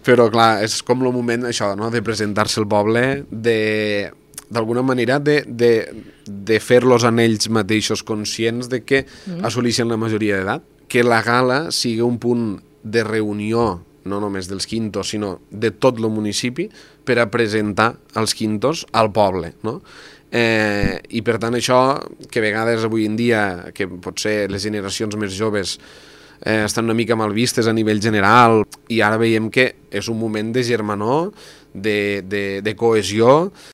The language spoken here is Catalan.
Però clar, és com el moment això, no?, de presentar-se al poble, d'alguna manera de fer-los en ells mateixos conscients de que assoleixen la majoria d'edat, que la gala sigui un punt de reunió no només dels quintos, sinó de tot el municipi per a presentar els quintos al poble, no? I per tant això, que a vegades avui en dia, que potser les generacions més joves estan una mica mal vistes a nivell general, i ara veiem que és un moment de germanor, de cohesió,